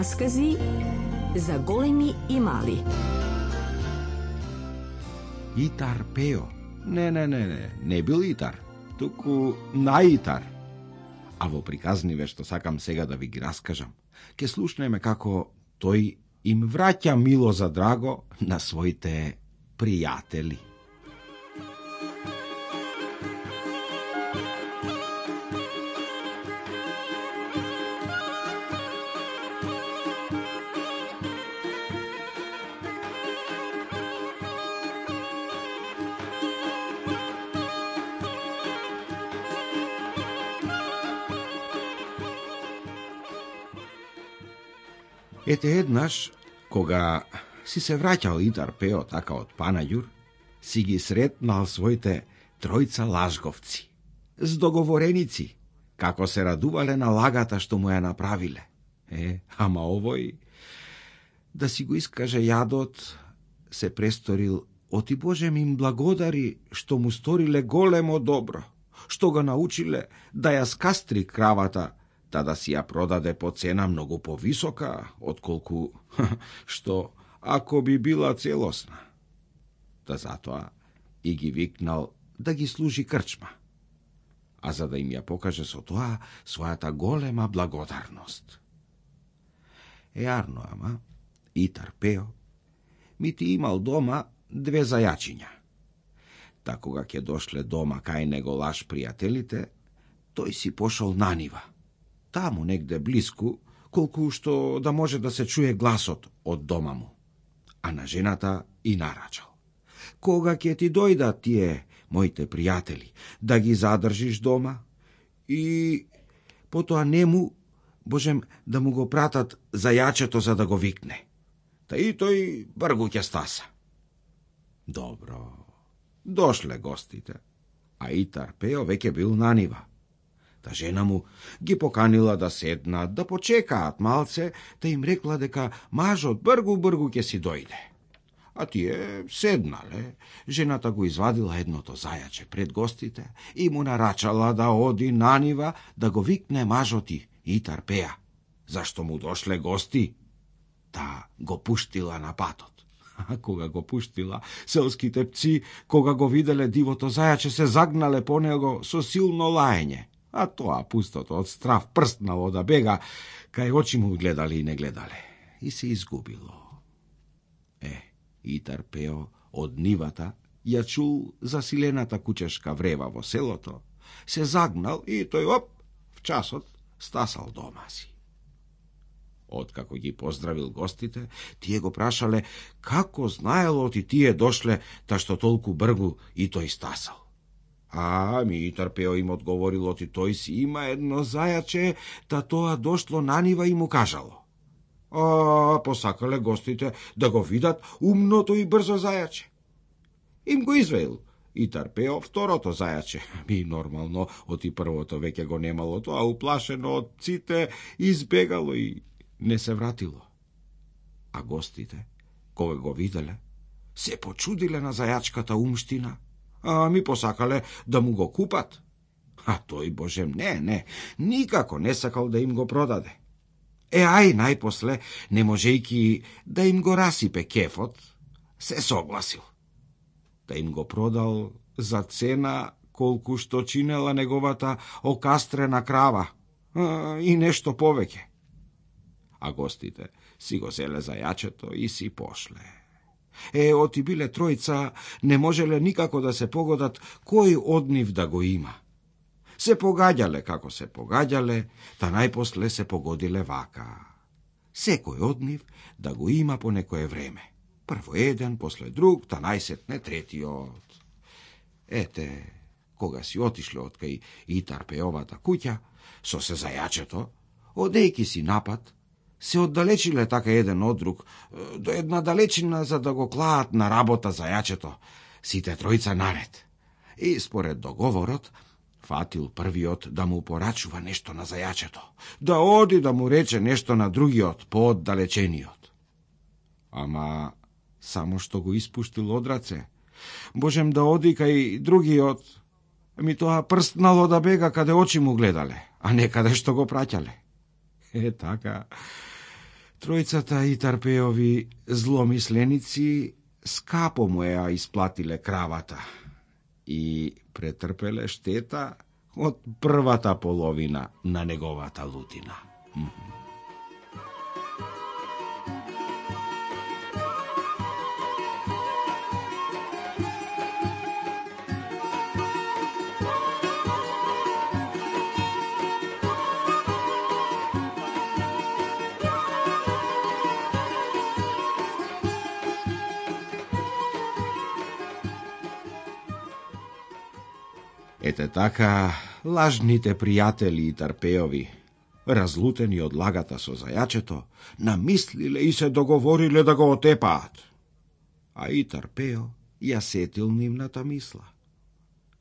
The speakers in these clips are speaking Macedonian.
Раскази за големи и мали. Итар Пео. Не бил Итар, туку наитар. А во приказниве што сакам сега да ви ги раскажам, ке слушнеме како тој им враќа мило за драго на своите пријатели. Ете еднаш, кога си се враќал Итар Пео така од Панаѓур, си ги сретнал своите тројца лажговци, с договореници, како се радувале на лагата што му ја направиле. Ама овој, да си го искаже јадот, се престорил, оти Боже ми им благодари што му сториле големо добро, што го научиле да ја скастри кравата, та да си ја продаде по цена многу повисока, отколку што ако би била целосна. Та затоа и ги викнал да ги служи крчма, а за да им ја покаже со тоа својата голема благодарност. Арно, ама, Итар Пео ми ти имал дома 2 зајачиња. Та кога ќе дошле дома кај него лаш пријателите, тој си пошол на нива, таму негде блиску, колку што да може да се чуе гласот од дома му. А на жената и нарачал: кога ќе ти дојдат тие моите пријатели, да ги задржиш дома и потоа нему, Божем, да му го пратат зајачето за да го викне. Та и тој бргу ќе стаса. Добро, дошле гостите, а Итар Пео веќе бил на нива. Та жена му ги поканила да седнат, да почекаат малце, та им рекла дека мажот бргу ќе си дојде. А тие седнале, жената го извадила едното зајаче пред гостите и му нарачала да оди на нива да го викне мажоти Итар Пеа, зашто му дошле гости. Та го пуштила на патот. А кога го пуштила, селските пци, кога го виделе дивото зајаче, се загнале по него со силно лаење. А тоа пустото од страв прстнало да бега, кај очи му гледали и не гледале. И се изгубило. Итар Пео од нивата ја чул засилената кучешка врева во селото, се загнал и тој в часот стасал дома си. Откако ги поздравил гостите, тие го прашале како знаело ти тие дошле, та што толку бргу и тој стасал. Итар Пео им одговорил оти тој си има едно зајаче, та тоа дошло на нива и му кажало. Посакале гостите да го видат умното и брзо зајаче. Им го извеил Итар Пео второто зајаче. Нормално, оти првото веќе го немало, тоа уплашено од пците избегало и не се вратило. А гостите, кога го виделе, се почудиле на зајачката умштина. Посакале да му го купат. А тој, Боже, не, никако не сакал да им го продаде. Најпосле, не можејки да им го расипе кефот, се согласил. Да им го продал за цена колку што чинела неговата окастрена крава и нешто повеќе. А гостите си го зеле зајачето и си пошле. Оти биле тројца, не можеле никако да се погодат кој од нив да го има. Се погаѓале како се погаѓале, та најпосле се погодиле вака: секој од нив да го има по некое време. Прво еден, после друг, та најсетне третиот. Кога си отишле од кај Итар Пеовата куќа, со се зајачето, одејки си напад, се оддалечиле така еден од друг, до една далечина за да го клаат на работа зајачето, сите тројца наред. И според договорот, фатил првиот да му порачува нешто на зајачето, да оди да му рече нешто на другиот, пооддалечениот. Ама само што го испуштил од раце, Божем да оди кај другиот, тоа прстнало да бега каде очи му гледале, а не каде што го праќале. Така Тројцата Итарпеови зломисленици скапо му ја исплатиле кравата и претрпеле штета од првата половина на неговата лутина. Ете така, лажните пријатели Итарпеови, разлутени од лагата со зајачето, намислиле и се договориле да го отепаат. А Итарпео ја сетил нивната мисла.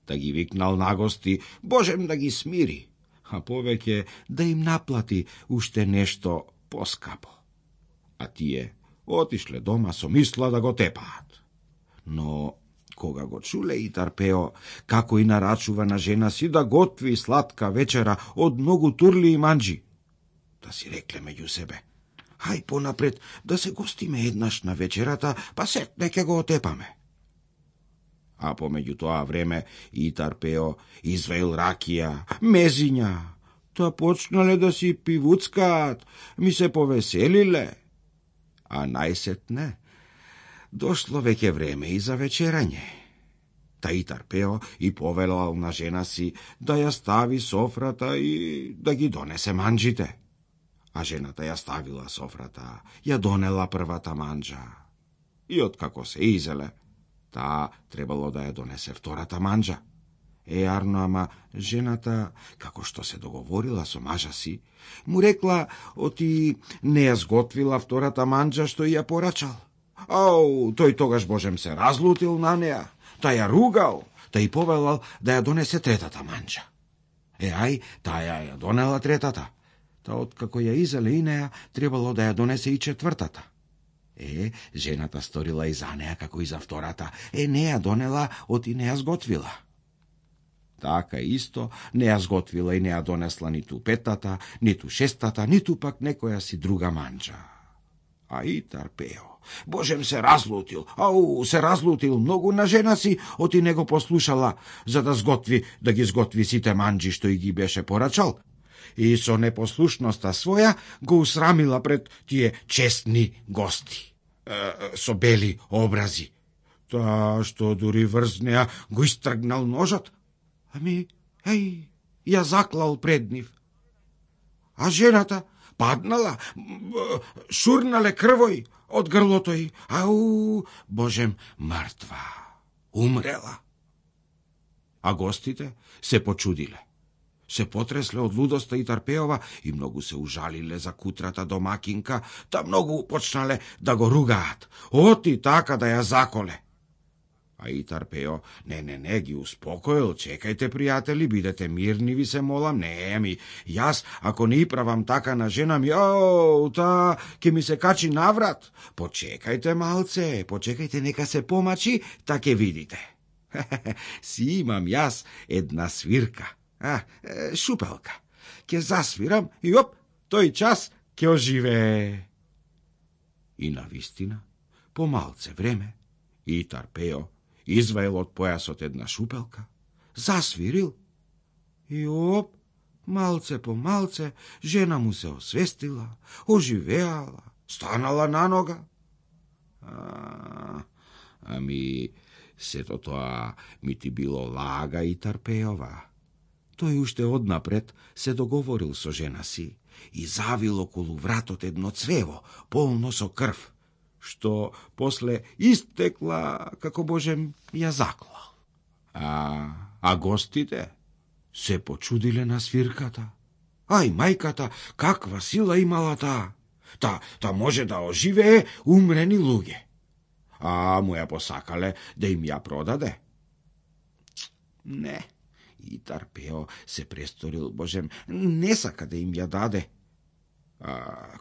Да ги викнал на гости, божем да ги смири, а повеќе да им наплати уште нешто поскапо. А тие отишле дома со мисла да го тепаат. Но кога го чуле Итарпео како и нарачува на жена си да готви сладка вечера од многу турли и манџи, да си рекле меѓу себе, хај понапред да се гостиме еднаш на вечерата, па сетне ќе го отепаме. А помеѓу тоа време Итарпео изваил ракија, мезиња, та почнале да си пивуцкаат, ми се повеселиле. А најсетне дошло веќе време и за вечерање. Та Итарпео и повелал на жена си да ја стави софрата и да ги донесе манџите. А жената ја ставила софрата, ја донела првата манџа. И откако се изеле, таа требало да ја донесе втората манџа. Арно, ама жената, како што се договорила со мажа си, му рекла оти не ја сготвила втората манџа што ја порачал. Ау, тој тогаш божем се разлутил на неа, та ја ругал, та и повелал да ја донесе третата манџа. Ај, таа ја донела третата, та откако ја изеле и неа, требало да ја донесе и четвртата. Жената сторила и за неа како и за втората, не ја донела, оти не ја сготвила. Така исто не ја сготвила и не ја донесла ниту петата, ниту шестата, ниту пак некоја си друга манџа. А Итарпео божем се разлутил, се разлутил многу на жена си, оти не го послушала, за да ги сготви сите манџи што и ги беше порачал. И со непослушноста своја го усрамила пред тие честни гости, со бели образи. Та што дури врз неа го истргнал ножот, ја заклал пред нив. А жената паднала, шурнале крвој од грлото й, божем, мртва, умрела. А гостите се почудиле, се потресле од лудоста Итарпеова и многу се ужалиле за кутрата домакинка, та многу почнале да го ругаат, оти така да ја заколе. А Итарпео не ги успокоил, чекајте пријатели, бидете мирни, ви се молам, јас ако не правам така на жена ми, та ќе ми се качи наврат. Почекајте малце, почекајте нека се помачи, та ќе видите. Си имам јас една свирка, шупелка. Ќе засвирам и тој час ќе оживее. И навистина, по малце време, Итарпео изваил од појасот една шупелка, засвирил и малце по малце, жена му се освестила, оживеала, станала на нога. Сето тоа ми ти било лага Итарпеова. Тој уште однапред се договорил со жена си и завил околу вратот едно црево, полно со крв, што после истекла, како божем ја заклал. А гостите се почудиле на свирката. Мајката, каква сила имала таа? Та може да оживее умрени луѓе. Му ја посакале да им ја продаде. Не, Итарпео се престорил, божем, не сака да им ја даде.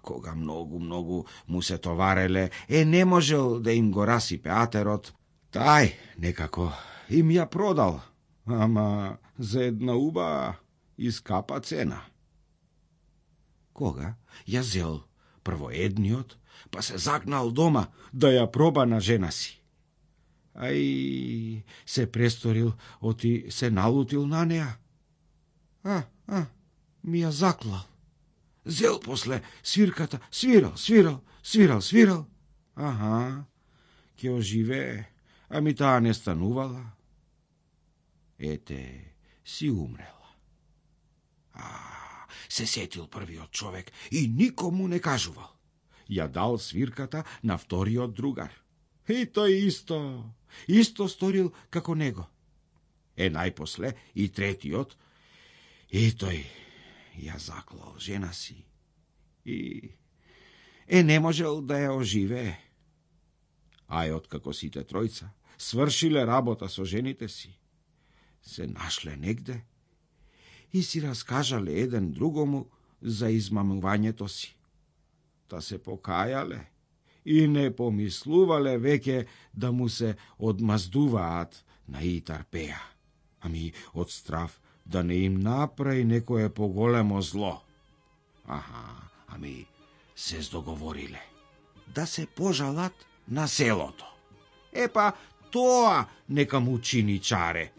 Кога многу му се товареле, не можел да им го расипе атерот, тај некако им ја продал, ама за една убава и скапа цена. Кога ја зел прво едниот, па се загнал дома да ја проба на жена си. Ај, се престорил, оти се налутил на неа. Ми ја заклал. Зел после свирката, свирал. Аха, ќе оживее, ами таа не станувала. Ете, си умрела. Се сетил првиот човек и никому не кажувал. Ја дал свирката на вториот другар. И тој исто сторил како него. Најпосле и третиот, и тој ја заклал жена си. И не можел да ја оживее. Откако сите тројца свршиле работа со жените си, се нашле негде и си раскажале еден другому за измамувањето си. Та се покајале и не помислувале веќе да му се одмаздуваат на Итар-Пеја, ами од страв да не им направи некое поголемо зло. Ами се здоговориле да се пожалат на селото. Епа, тоа нека му чини чаре,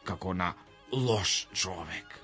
како на лош човек.